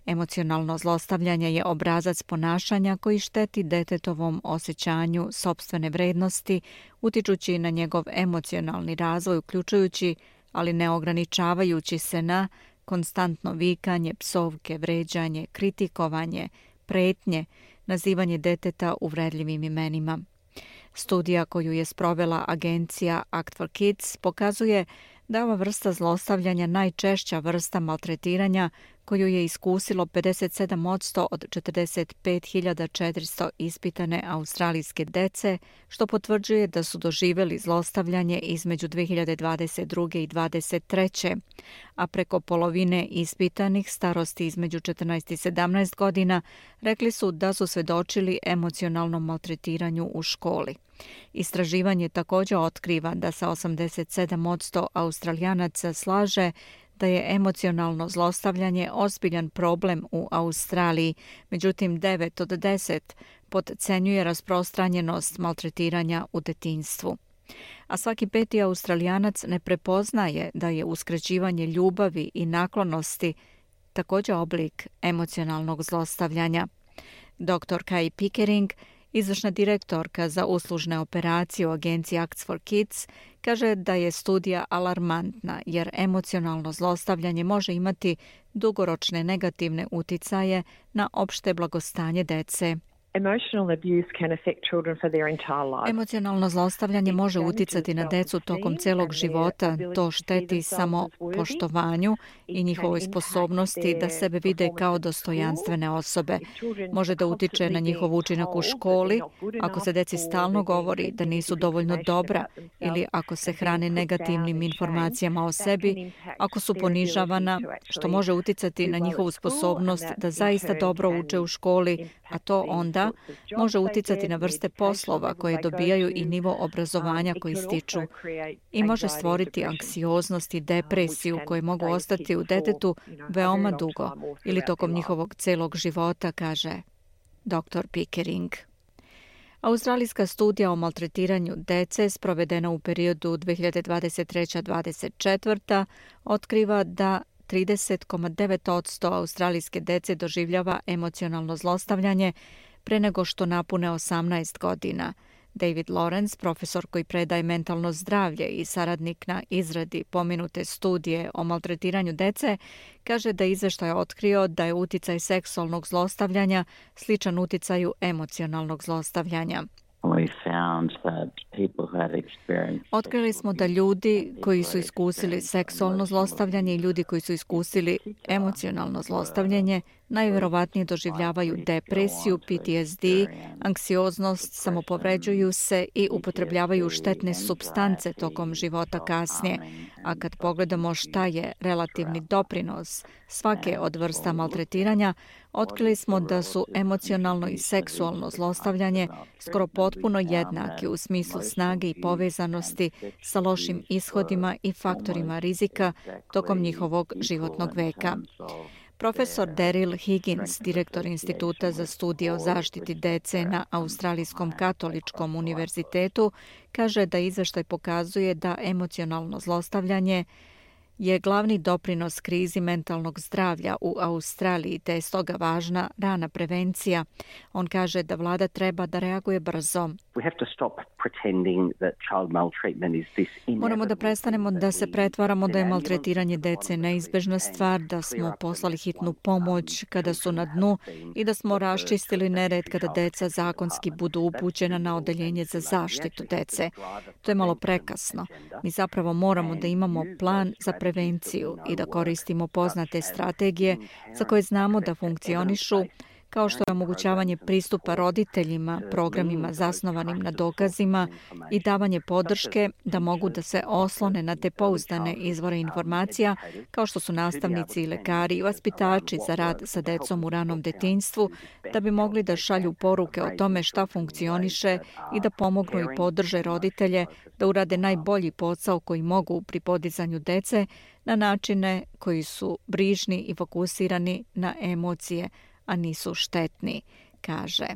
Speaker 2: Emocionalno zlostavljanje je obrazac ponašanja koji šteti detetovom osjećanju sopstvene vrednosti, utičući na njegov emocionalni razvoj, uključujući, ali ne ograničavajući se na konstantno vikanje, psovke, vređanje, kritikovanje, pretnje, nazivanje deteta uvredljivim imenima. Studija koju je sprovela agencija Act for Kids pokazuje da ova vrsta zlostavljanja najčešća vrsta maltretiranja koju je iskusilo 57% od 45.400 ispitane australijske dece, što potvrđuje da su doživjeli zlostavljanje između 2022. i 2023. A preko polovine ispitanih starosti između 14 i 17 godina rekli su da su svedočili emocionalnom maltretiranju u školi. Istraživanje također otkriva da sa 87% Australijanaca slaže da je emocionalno zlostavljanje ozbiljan problem u Australiji, međutim 9 od 10 potcenjuje rasprostranjenost maltretiranja u detinjstvu. A svaki 5. Australijanac ne prepoznaje da je uskraćivanje ljubavi i naklonosti također oblik emocionalnog zlostavljanja. Dr. Kai Pickering, izvršna direktorka za uslužne operacije u agenciji Act for Kids, kaže da je studija alarmantna jer emocionalno zlostavljanje može imati dugoročne negativne uticaje na opšte blagostanje dece. Emocionalno zlostavljanje može uticati na decu tokom celog života. To šteti samo poštovanju i njihovoj sposobnosti da sebe vide kao dostojanstvene osobe. Može da utiče na njihov učinak u školi, ako se deci stalno govori da nisu dovoljno dobra ili ako se hrane negativnim informacijama o sebi, ako su ponižavana, što može uticati na njihovu sposobnost da zaista dobro uče u školi, a to onda može uticati na vrste poslova koje dobijaju i nivo obrazovanja koji stiču i može stvoriti anksioznost i depresiju koje mogu ostati u detetu veoma dugo ili tokom njihovog celog života, kaže dr. Pickering. Australijska studija o maltretiranju dece sprovedena u periodu 2023-2024 otkriva da 30,9% australijske dece doživljava emocionalno zlostavljanje pre nego što napune 18 godina. David Lawrence, profesor koji predaje mentalno zdravlje i saradnik na izradi pomenute studije o maltretiranju dece, kaže da izveštaj otkrio da je uticaj seksualnog zlostavljanja sličan uticaju emocionalnog zlostavljanja. Otkrili smo da ljudi koji su iskusili seksualno zlostavljanje i ljudi koji su iskusili emocionalno zlostavljanje najverovatnije doživljavaju depresiju, PTSD, anksioznost, samopovređuju se i upotrebljavaju štetne supstance tokom života kasnije. A kad pogledamo šta je relativni doprinos svake od vrsta maltretiranja, otkrili smo da su emocionalno i seksualno zlostavljanje skoro potpuno jednaki u smislu snage i povezanosti sa lošim ishodima i faktorima rizika tokom njihovog životnog veka. Profesor Daryl Higgins, direktor Instituta za studije o zaštiti dece na Australijskom katoličkom univerzitetu, kaže da izveštaj pokazuje da emocionalno zlostavljanje je glavni doprinos krizi mentalnog zdravlja u Australiji, te je stoga važna rana prevencija. On kaže da vlada treba da reaguje brzo. Moramo da prestanemo da se pretvaramo da je maltretiranje dece neizbežna stvar, da smo poslali hitnu pomoć kada su na dnu i da smo raščistili nered kada deca zakonski budu upućena na odeljenje za zaštitu dece. To je malo prekasno. Mi zapravo moramo da imamo plan za prevenciju i da koristimo poznate strategije za koje znamo da funkcionišu, kao što je omogućavanje pristupa roditeljima, programima zasnovanim na dokazima i davanje podrške da mogu da se oslone na te pouzdane izvore informacija, kao što su nastavnici i lekari i vaspitači za rad sa decom u ranom detinjstvu, da bi mogli da šalju poruke o tome šta funkcioniše i da pomognu i podrže roditelje da urade najbolji posao koji mogu pri podizanju dece na načine koji su brižni i fokusirani na emocije, a nisu štetni, kaže.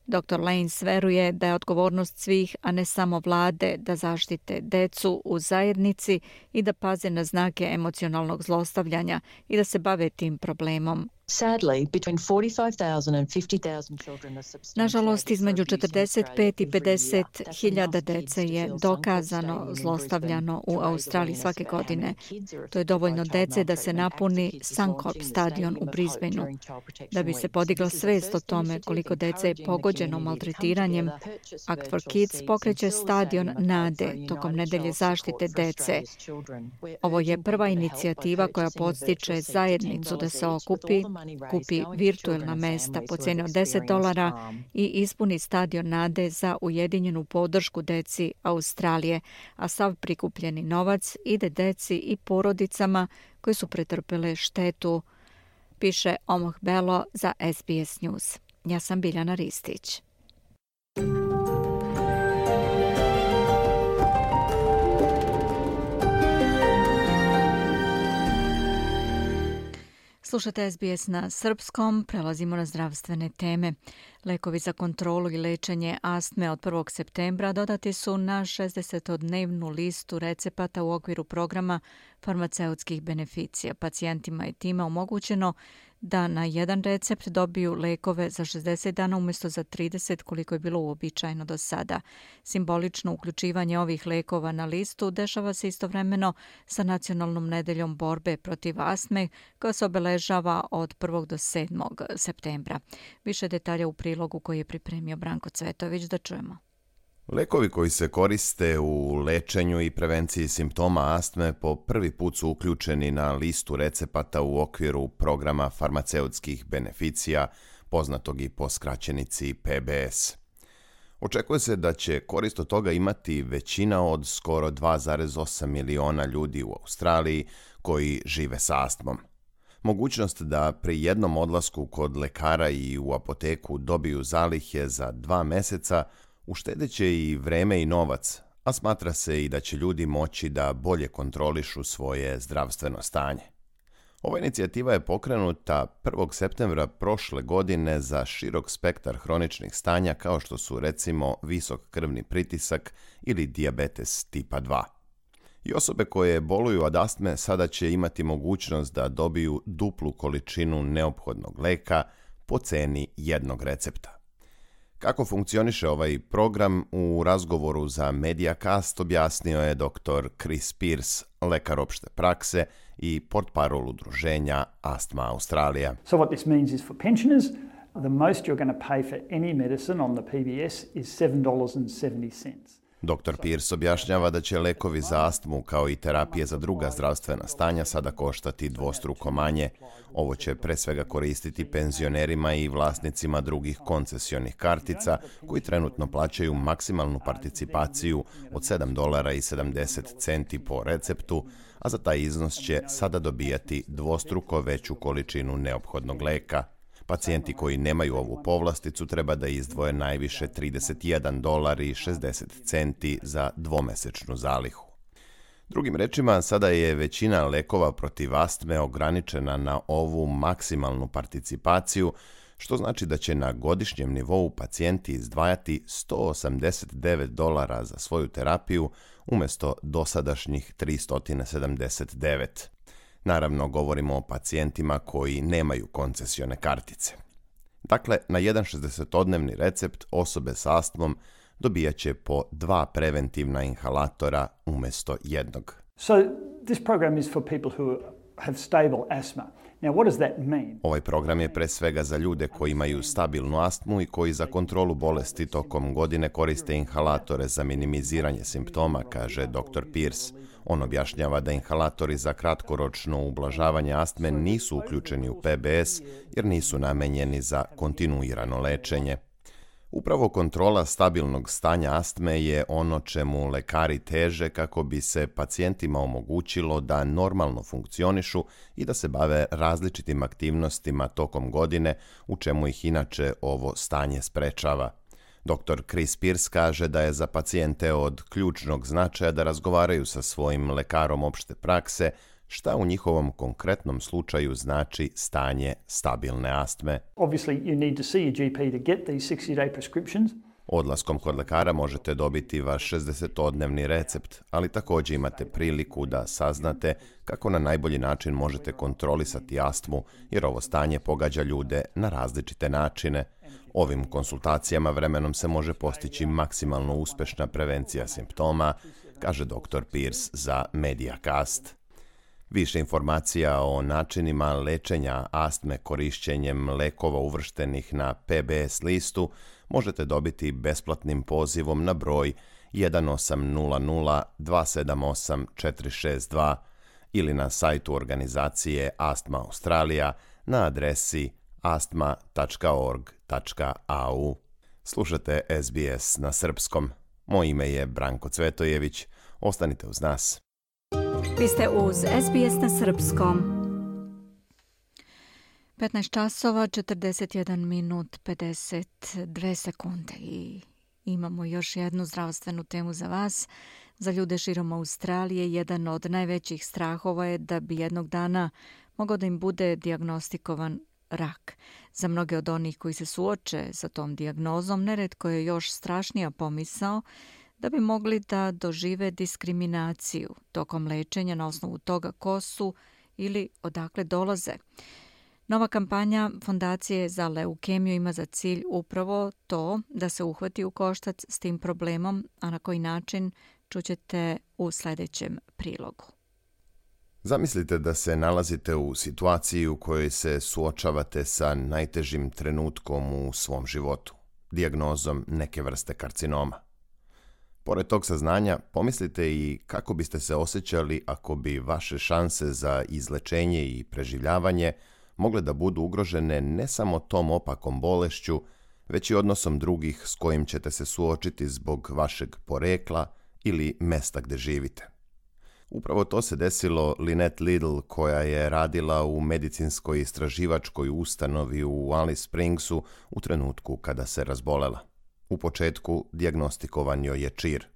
Speaker 2: Dr. Lanes veruje da je odgovornost svih, a ne samo vlade, da zaštite decu u zajednici i da paze na znake emocionalnog zlostavljanja i da se bave tim problemom. Nažalost, između 45 i 50 hiljada dece je dokazano zlostavljano u Australiji svake godine. To je dovoljno dece da se napuni Suncorp stadion u Brisbaneu. Da bi se podigla svest o tome koliko dece je pogođeno maltretiranjem, Act for Kids pokreće stadion Nade tokom nedelje zaštite dece. Ovo je prva inicijativa koja podstiče zajednicu da se okupi, kupi virtuelna mesta po cijeni od $10 i ispuni stadion Nade za ujedinjenu podršku deci Australije, a sav prikupljeni novac ide deci i porodicama koji su pretrpele štetu, piše Omoh Belo za SBS News. Ja sam Biljana Ristić. Slušate SBS na srpskom, prelazimo na zdravstvene teme. Lekovi za kontrolu i lečenje astme od 1. septembra dodati su na 60-dnevnu listu recepata u okviru programa farmaceutskih beneficija. Pacijentima je time omogućeno da na jedan recept dobiju lekove za 60 dana umjesto za 30 koliko je bilo uobičajeno do sada. Simbolično uključivanje ovih lekova na listu dešava se istovremeno sa Nacionalnom nedeljom borbe protiv astme koja se obeležava od 1. do 7. septembra. Više detalja u prilogu koji je pripremio Branko Cvetović, da čujemo.
Speaker 7: Lekovi koji se koriste u lečenju i prevenciji simptoma astme po prvi put su uključeni na listu recepata u okviru programa farmaceutskih beneficija, poznatog i po skraćenici PBS. Očekuje se da će korist od toga imati većina od skoro 2,8 miliona ljudi u Australiji koji žive sa astmom. Mogućnost da pri jednom odlasku kod lekara i u apoteku dobiju zalihe za 2 meseca uštedeće i vreme i novac, a smatra se i da će ljudi moći da bolje kontrolišu svoje zdravstveno stanje. Ova inicijativa je pokrenuta 1. septembra prošle godine za širok spektar hroničnih stanja kao što su recimo visok krvni pritisak ili dijabetes tipa 2. I osobe koje boluju od astme sada će imati mogućnost da dobiju duplu količinu neophodnog leka po ceni jednog recepta. Kako funkcioniše ovaj program, u razgovoru za Mediacast objasnio je dr. Chris Pierce, lekar opšte prakse i portparol udruženja Astma Australija.
Speaker 9: So what this means is for pensioners, the most you're going to pay for any medicine on the PBS is $7.70.
Speaker 7: Dr. Pierce objašnjava da će lekovi za astmu kao i terapije za druga zdravstvena stanja sada koštati dvostruko manje. Ovo će pre svega koristiti penzionerima i vlasnicima drugih koncesionih kartica koji trenutno plaćaju maksimalnu participaciju od $7.70 po receptu, a za taj iznos će sada dobijati dvostruko veću količinu neophodnog leka. Pacijenti koji nemaju ovu povlasticu treba da izdvoje najviše $31.60 za dvomesečnu zalihu. Drugim rečima, sada je većina lekova protiv astme ograničena na ovu maksimalnu participaciju, što znači da će na godišnjem nivou pacijenti izdvajati $189 za svoju terapiju umjesto dosadašnjih $379. Naravno, govorimo o pacijentima koji nemaju koncesione kartice. Dakle, na jedan 60-dnevni recept osobe s astmom dobijat će po 2 preventivna inhalatora umjesto jednog.
Speaker 9: So this program is for people who have stable asthma. Now, what does that mean?
Speaker 7: Ovaj program je pre svega za ljude koji imaju stabilnu astmu i koji za kontrolu bolesti tokom godine koriste inhalatore za minimiziranje simptoma, kaže dr. Pierce. On objašnjava da inhalatori za kratkoročno ublažavanje astme nisu uključeni u PBS jer nisu namenjeni za kontinuirano lečenje. Upravo kontrola stabilnog stanja astme je ono čemu lekari teže kako bi se pacijentima omogućilo da normalno funkcionišu i da se bave različitim aktivnostima tokom godine, u čemu ih inače ovo stanje sprečava. Dr. Chris Pierce kaže da je za pacijente od ključnog značaja da razgovaraju sa svojim lekarom opšte prakse šta u njihovom konkretnom slučaju znači stanje stabilne astme.
Speaker 9: Obviously, you need to see your GP to get these 60-day prescriptions.
Speaker 7: Odlaskom kod lekara možete dobiti vaš 60-dnevni recept, ali također imate priliku da saznate kako na najbolji način možete kontrolisati astmu, jer ovo stanje pogađa ljude na različite načine. Ovim konsultacijama vremenom se može postići maksimalno uspešna prevencija simptoma, kaže dr. Pierce za Mediacast. Više informacija o načinima lečenja astme korišćenjem lekova uvrštenih na PBS listu možete dobiti besplatnim pozivom na broj 1800 278 462 ili na sajtu organizacije Astma Australija na adresi astma.org.au. Slušate SBS na srpskom. Moje ime je Branko Cvetojević. Ostanite uz nas.
Speaker 2: Vi ste uz SBS na srpskom. 15 časova, 41 minut, 52 sekunde i imamo još jednu zdravstvenu temu za vas. Za ljude širom Australije jedan od najvećih strahova je da bi jednog dana mogao da im bude dijagnostikovan rak. Za mnoge od onih koji se suoče sa tom dijagnozom, neretko je još strašnija pomisao da bi mogli da dožive diskriminaciju tokom lečenja na osnovu toga ko su ili odakle dolaze. Nova kampanja Fondacije za leukemiju ima za cilj upravo to da se uhvati u koštac s tim problemom, a na koji način čućete u sljedećem prilogu.
Speaker 7: Zamislite da se nalazite u situaciji u kojoj se suočavate sa najtežim trenutkom u svom životu, dijagnozom neke vrste karcinoma. Pored tog saznanja, pomislite i kako biste se osjećali ako bi vaše šanse za izlečenje i preživljavanje mogle da budu ugrožene ne samo tom opakom bolešću, već i odnosom drugih s kojim ćete se suočiti zbog vašeg porekla ili mesta gde živite. Upravo to se desilo Lynette Liddle, koja je radila u medicinskoj istraživačkoj ustanovi u Alice Springsu u trenutku kada se razbolela. U početku dijagnostikovan joj je čir.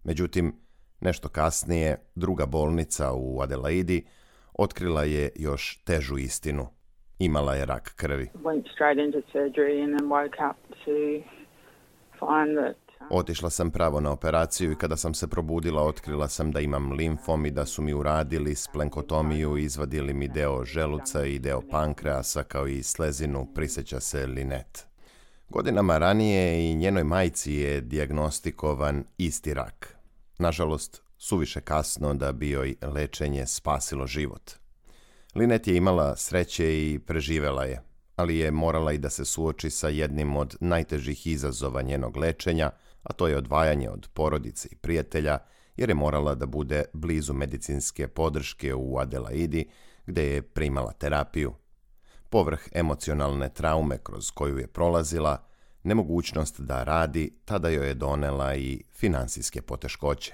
Speaker 7: Međutim, nešto kasnije, druga bolnica u Adelaidi otkrila je još težu istinu. Imala je rak krvi. Otišla sam pravo na operaciju i kada sam se probudila otkrila sam da imam limfom i da su mi uradili splenkotomiju i izvadili mi deo želuca i deo pankreasa kao i slezinu, prisjeća se Lynette. Godinama ranije i njenoj majci je dijagnostikovan isti rak. Nažalost, suviše kasno da bi joj lečenje spasilo život. Lynette je imala sreće i preživela je, ali je morala i da se suoči sa jednim od najtežih izazova njenog lečenja, a to je odvajanje od porodice i prijatelja, jer je morala da bude blizu medicinske podrške u Adelaidi, gde je primala terapiju. Povrh emocionalne traume kroz koju je prolazila, nemogućnost da radi, tada joj je donela i finansijske poteškoće.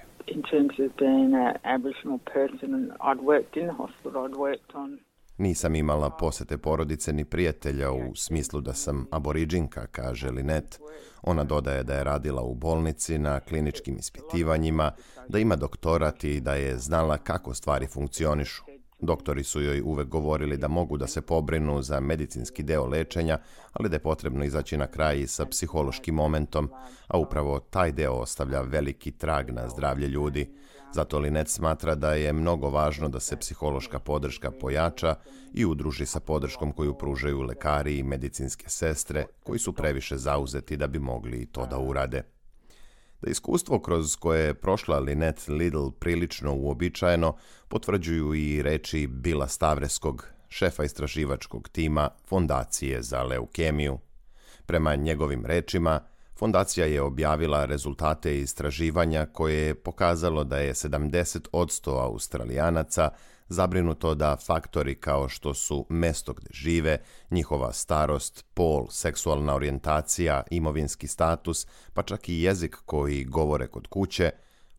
Speaker 7: Nisam imala posete porodice ni prijatelja u smislu da sam aboriđinka, kaže Lynette. Ona dodaje da je radila u bolnici na kliničkim ispitivanjima, da ima doktorat i da je znala kako stvari funkcionišu. Doktori su joj uvek govorili da mogu da se pobrinu za medicinski deo lečenja, ali da je potrebno izaći na kraj i sa psihološkim momentom, a upravo taj deo ostavlja veliki trag na zdravlje ljudi. Zato Lynette smatra da je mnogo važno da se psihološka podrška pojača i udruži sa podrškom koju pružaju lekari i medicinske sestre, koji su previše zauzeti da bi mogli to da urade. Da iskustvo kroz koje je prošla Lynette Liddle prilično uobičajeno, potvrđuju i reči Billa Stavreskog, šefa istraživačkog tima Fondacije za leukemiju. Prema njegovim rečima, fondacija je objavila rezultate istraživanja koje je pokazalo da je 70% Australijanaca zabrinuto da faktori kao što su mesto gde žive, njihova starost, pol, seksualna orijentacija, imovinski status, pa čak i jezik koji govore kod kuće,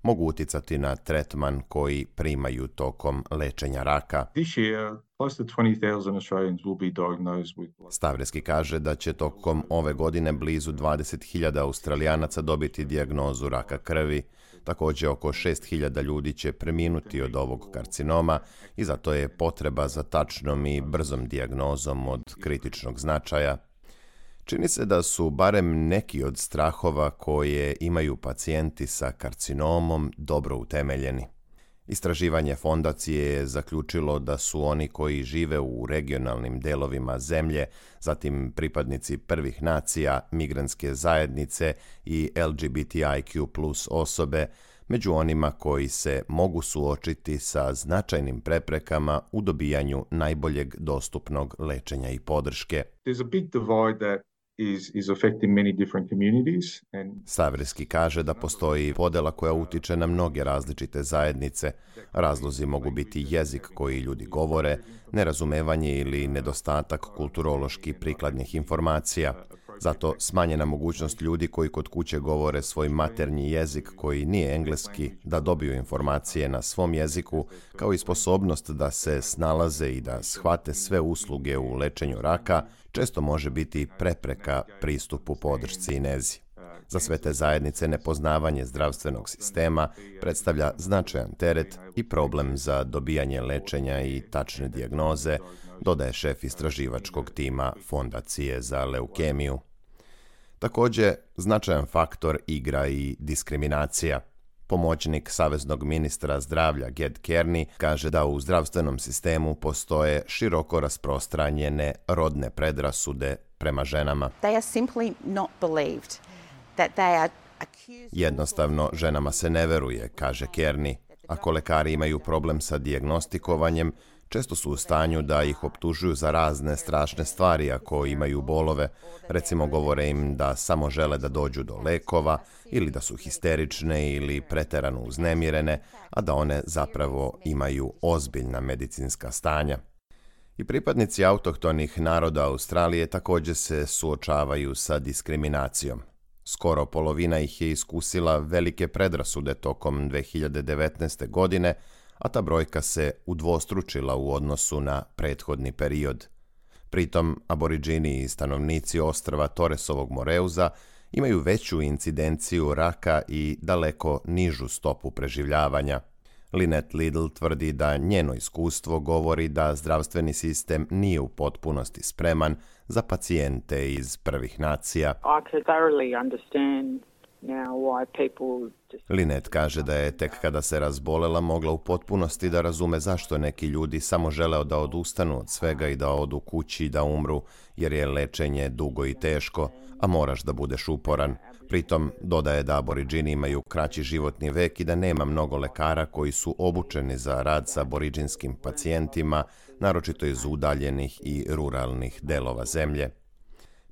Speaker 7: mogu uticati na tretman koji primaju tokom lečenja raka. Stavreski kaže da će tokom ove godine blizu 20.000 Australijanaca dobiti dijagnozu raka krvi. Također oko 6.000 ljudi će preminuti od ovog karcinoma i zato je potreba za tačnom i brzom dijagnozom od kritičnog značaja. Čini se da su barem neki od strahova koje imaju pacijenti sa karcinomom dobro utemeljeni. Istraživanje fondacije je zaključilo da su oni koji žive u regionalnim delovima zemlje, zatim pripadnici prvih nacija, migrantske zajednice i LGBTIQ+ osobe, među onima koji se mogu suočiti sa značajnim preprekama u dobijanju najboljeg dostupnog lečenja i podrške. Stavreski kaže da postoji podela koja utiče na mnoge različite zajednice. Razlozi mogu biti jezik koji ljudi govore, nerazumevanje ili nedostatak kulturološki prikladnih informacija. Zato smanjena mogućnost ljudi koji kod kuće govore svoj maternji jezik koji nije engleski da dobiju informacije na svom jeziku, kao i sposobnost da se snalaze i da shvate sve usluge u lečenju raka, često može biti prepreka pristupu podršci i nezi. Za sve te zajednice nepoznavanje zdravstvenog sistema predstavlja značajan teret i problem za dobijanje lečenja i tačne dijagnoze, dodaje šef istraživačkog tima Fondacije za leukemiju. Također, značajan faktor igra i diskriminacija. Pomoćnik saveznog ministra zdravlja Ged Kearney kaže da u zdravstvenom sistemu postoje široko rasprostranjene rodne predrasude prema ženama. Jednostavno, ženama se ne veruje, kaže Kearney. Ako lekari imaju problem sa dijagnostikovanjem, često su u stanju da ih optužuju za razne strašne stvari ako imaju bolove. Recimo, govore im da samo žele da dođu do lekova ili da su histerične ili preterano uznemirene, a da one zapravo imaju ozbiljna medicinska stanja. I pripadnici autohtonih naroda Australije također se suočavaju sa diskriminacijom. Skoro polovina ih je iskusila velike predrasude tokom 2019. godine, a ta brojka se udvostručila u odnosu na prethodni period. Pritom, aboriđini i stanovnici ostrva Torresovog Moreuza imaju veću incidenciju raka i daleko nižu stopu preživljavanja. Lynette Liddle tvrdi da njeno iskustvo govori da zdravstveni sistem nije u potpunosti spreman za pacijente iz prvih nacija. Lynette kaže da je tek kada se razbolela mogla u potpunosti da razume zašto neki ljudi samo žele da odustanu od svega i da odu kući i da umru, jer je lečenje dugo i teško, a moraš da budeš uporan. Pritom dodaje da aboriđini imaju kraći životni vek i da nema mnogo lekara koji su obučeni za rad sa aboriđinskim pacijentima, naročito iz udaljenih i ruralnih delova zemlje.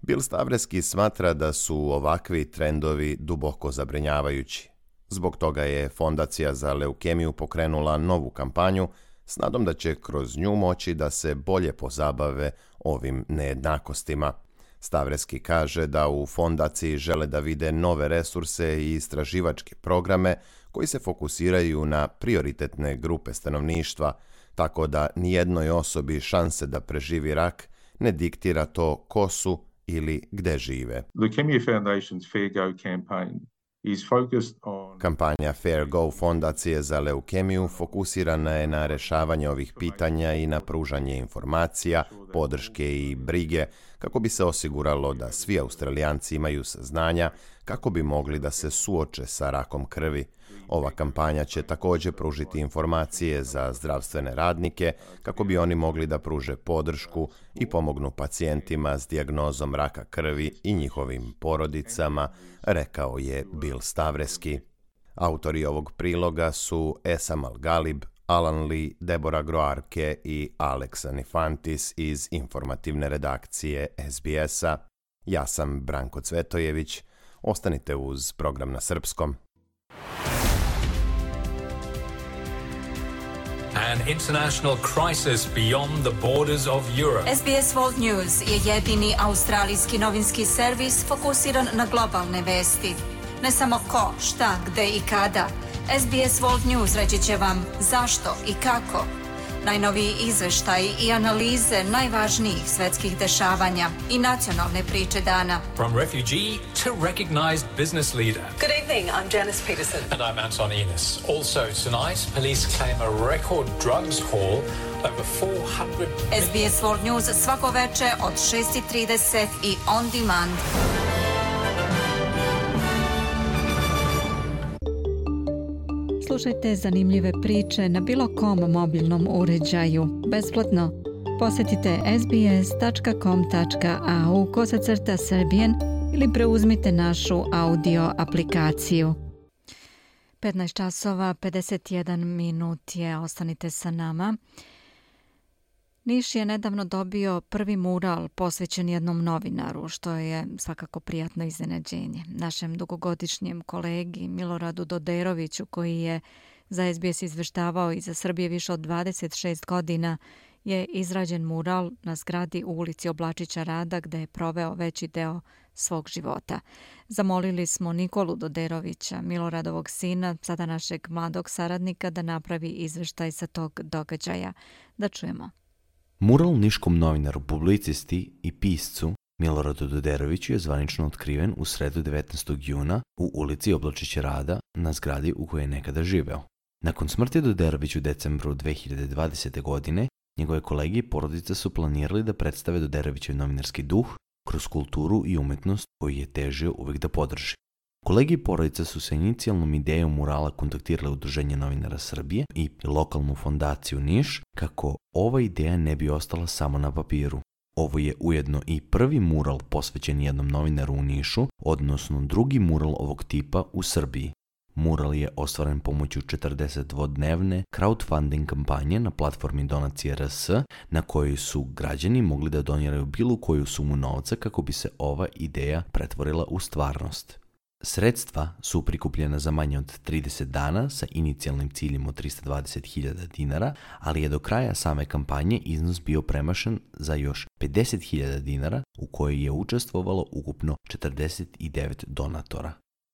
Speaker 7: Bill Stavreski smatra da su ovakvi trendovi duboko zabrinjavajući. Zbog toga je Fondacija za leukemiju pokrenula novu kampanju s nadom da će kroz nju moći da se bolje pozabave ovim nejednakostima. Stavreski kaže da u fondaciji žele da vide nove resurse i istraživačke programe koji se fokusiraju na prioritetne grupe stanovništva, tako da nijednoj osobi šanse da preživi rak ne diktira to ko su ili gde žive.
Speaker 10: Leukemia Foundation's Fair Go campaign is focused on...
Speaker 7: Kampanja Fair Go Fondacije za leukemiju fokusirana je na rešavanje ovih pitanja i na pružanje informacija, podrške i brige kako bi se osiguralo da svi Australijanci imaju saznanja kako bi mogli da se suoče sa rakom krvi. Ova kampanja će također pružiti informacije za zdravstvene radnike kako bi oni mogli da pruže podršku i pomognu pacijentima s dijagnozom raka krvi i njihovim porodicama, rekao je Bill Stavreski. Autori ovog priloga su Esam Al-Galib, Alan Lee, Deborah Groarke i Alex Anifantis iz informativne redakcije SBS-a. Ja sam Branko Cvetojević. Ostanite uz program na srpskom.
Speaker 11: An international crisis beyond the borders of Europe.
Speaker 2: SBS World News je jedini australijski novinski servis fokusiran na globalne vesti. Ne samo ko, šta, gde i kada. SBS World News reći će vam zašto i kako. Najnoviji izveštaji i analize najvažnijih svetskih dešavanja i nacionalne priče dana.
Speaker 11: From refugee to recognized business leader.
Speaker 12: Good evening, I'm Janice Peterson.
Speaker 11: And I'm Anton Enos. Also tonight, police claim a record drugs haul over 400...
Speaker 2: SBS World News svako veče od 6:30 i on demand. Slušajte zanimljive priče na bilo kom mobilnom uređaju, besplatno. Posjetite sbs.com.au/Serbian ili preuzmite našu audio aplikaciju. 15 časova, 51 minut je, ostanite sa nama. Niš je nedavno dobio prvi mural posvećen jednom novinaru, što je svakako prijatno iznenađenje. Našem dugogodišnjem kolegi Miloradu Doderoviću, koji je za SBS izveštavao i za Srbije više od 26 godina, je izrađen mural na zgradi u ulici Oblačića Rada, gde je proveo veći deo svog života. Zamolili smo Nikolu Doderovića, Miloradovog sina, sada našeg mladog saradnika, da napravi izveštaj sa tog događaja. Da čujemo.
Speaker 13: Mural niškom novinaru, publicisti i piscu Miloradu Doderoviću je zvanično otkriven u sredu 19. juna u ulici Oblačića Rada na zgradi u kojoj je nekada živeo. Nakon smrti Doderović u decembru 2020. godine, njegove kolege i porodica su planirali da predstave Doderovićev novinarski duh kroz kulturu i umetnost koju je težio uvijek da podrži. Kolegi i porodica su sa inicijalnom idejom murala kontaktirali Udruženje novinara Srbije i lokalnu fondaciju Niš kako ova ideja ne bi ostala samo na papiru. Ovo je ujedno i prvi mural posvećen jednom novinaru u Nišu, odnosno drugi mural ovog tipa u Srbiji. Mural je ostvaren pomoću 42-dnevne crowdfunding kampanje na platformi Donacije RS, na kojoj su građani mogli da doniraju bilo koju sumu novca kako bi se ova ideja pretvorila u stvarnost. Sredstva su prikupljena za manje od 30 dana sa inicijalnim ciljem od 320.000 dinara, ali je do kraja same kampanje iznos bio premašen za još 50.000 dinara u kojoj je učestvovalo ukupno 49 donatora.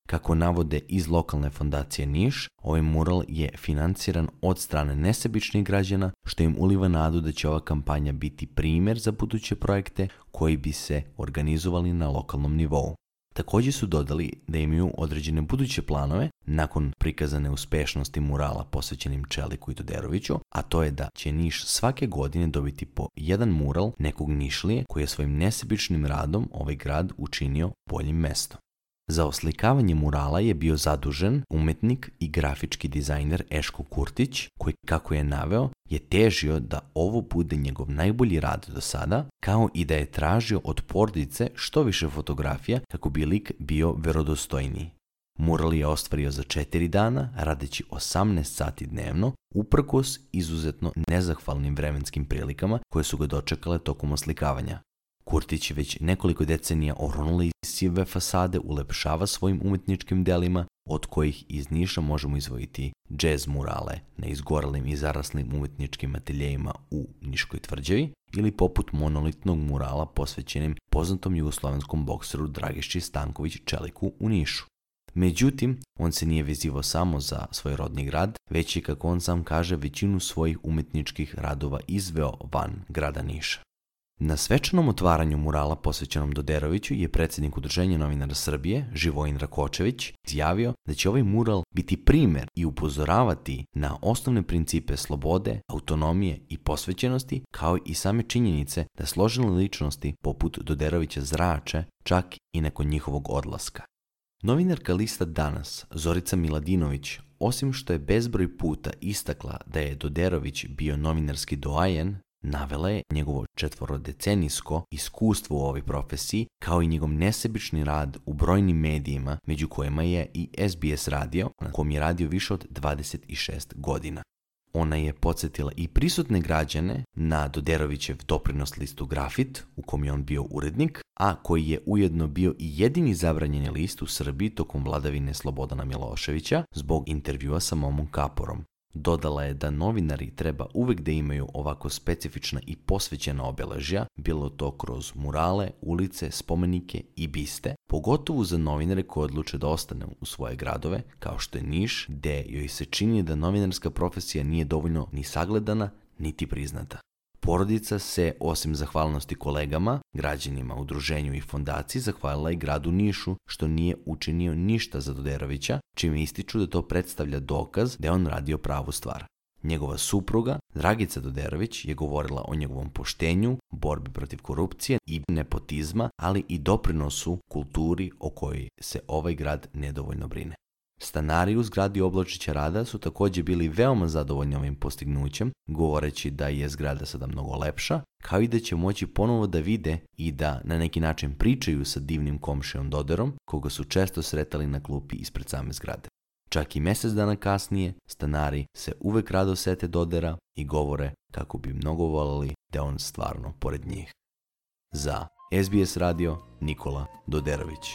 Speaker 13: Kako navode iz lokalne fondacije Niš, ovaj mural je financiran od strane nesebičnih građana, što im uliva nadu da će ova kampanja biti primjer za buduće projekte koji bi se organizovali na lokalnom nivou. Također su dodali da imaju određene buduće planove nakon prikazane uspešnosti murala posvećenim Čeliku i Todoroviću, a to je da će Niš svake godine dobiti po jedan mural nekog Nišlije koji je svojim nesebičnim radom ovaj grad učinio boljim mestom. Za oslikavanje murala je bio zadužen umetnik i grafički dizajner Eško Kurtić, koji, kako je naveo, je težio da ovo bude njegov najbolji rad do sada, kao i da je tražio od porodice što više fotografija kako bi lik bio verodostojniji. Mural je ostvario za 4 dana, radeći 18 sati dnevno, uprkos izuzetno nezahvalnim vremenskim prilikama koje su ga dočekale tokom oslikavanja. Kurtić već nekoliko decenija oronule i sive fasade ulepšava svojim umetničkim delima, od kojih iz Niša možemo izdvojiti džez murale na izgorelim i zaraslim umetničkim ateljejima u Niškoj tvrđavi ili poput monolitnog murala posvećenim poznatom jugoslovenskom bokseru Dragiši Stanković Čeliku u Nišu. Međutim, on se nije vezivao samo za svoj rodni grad, već i, kako on sam kaže, većinu svojih umetničkih radova izveo van grada Niša. Na svečanom otvaranju murala posvećenom Todoroviću je predsjednik Udruženja novinara Srbije, Živojin Rakočević, izjavio da će ovaj mural biti primjer i upozoravati na osnovne principe slobode, autonomije i posvećenosti, kao i same činjenice da složene ličnosti poput Todorovića zrače čak i nakon njihovog odlaska. Novinarka lista Danas, Zorica Miladinović, osim što je bezbroj puta istakla da je Todorović bio novinarski doajen, navela je njegovo 4-decenijsko iskustvo u ovoj profesiji, kao i njegov nesebični rad u brojnim medijima, među kojima je i SBS radio, na kom je radio više od 26 godina. Ona je podsjetila i prisutne građane na Todorovićev doprinos listu Grafit, u kom je on bio urednik, a koji je ujedno bio i jedini zabranjeni list u Srbiji tokom vladavine Slobodana Miloševića zbog intervjua sa Momom Kaporom. Dodala je da novinari treba uvek da imaju ovako specifična i posvećena obeležja, bilo to kroz murale, ulice, spomenike i biste, pogotovo za novinare koji odluče da ostane u svoje gradove, kao što je Niš, gde joj se čini da novinarska profesija nije dovoljno ni sagledana, niti priznata. Porodica se, osim zahvalnosti kolegama, građanima, udruženju i fondaciji, zahvalila i gradu Nišu, što nije učinio ništa za Todorovića, čime ističu da to predstavlja dokaz da je on radio pravu stvar. Njegova supruga, Dragica Todorović, je govorila o njegovom poštenju, borbi protiv korupcije i nepotizma, ali i doprinosu kulturi o kojoj se ovaj grad nedovoljno brine. Stanari u zgradi Obločića Rada su također bili veoma zadovoljni ovim postignućem, govoreći da je zgrada sada mnogo lepša, kao i da će moći ponovo da vide i da na neki način pričaju sa divnim komšijom Dodorom, koga su često sretali na klupi ispred same zgrade. Čak i mjesec dana kasnije, stanari se uvek rado sete Dodora i govore kako bi mnogo voljeli da on stvarno pored njih. Za SBS radio, Nikola Dodorović.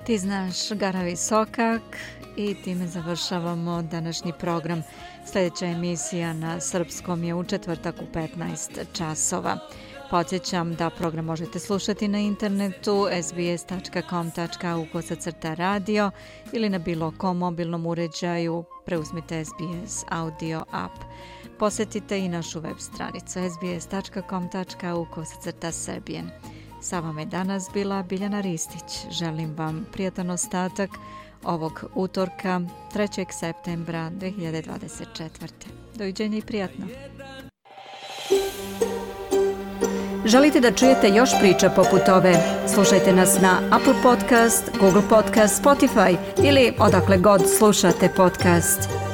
Speaker 2: Ti znaš, Garavi Sokak, i time završavamo današnji program. Sljedeća emisija na srpskom je u četvrtak u 15 časova. Podsjećam da program možete slušati na internetu sbs.com.au/radio ili na bilo kom mobilnom uređaju. Preuzmite SBS audio app. Posjetite i našu web stranicu sbs.com.au/serbian. Sa vama je danas bila Biljana Ristić. Želim vam prijatan ostatak ovog utorka 3. septembra 2024. Doviđenja i prijatno. Želite da čujete još priča poput ove? Slušajte nas na Apple Podcast, Google Podcast, Spotify ili odakle god slušate podcast.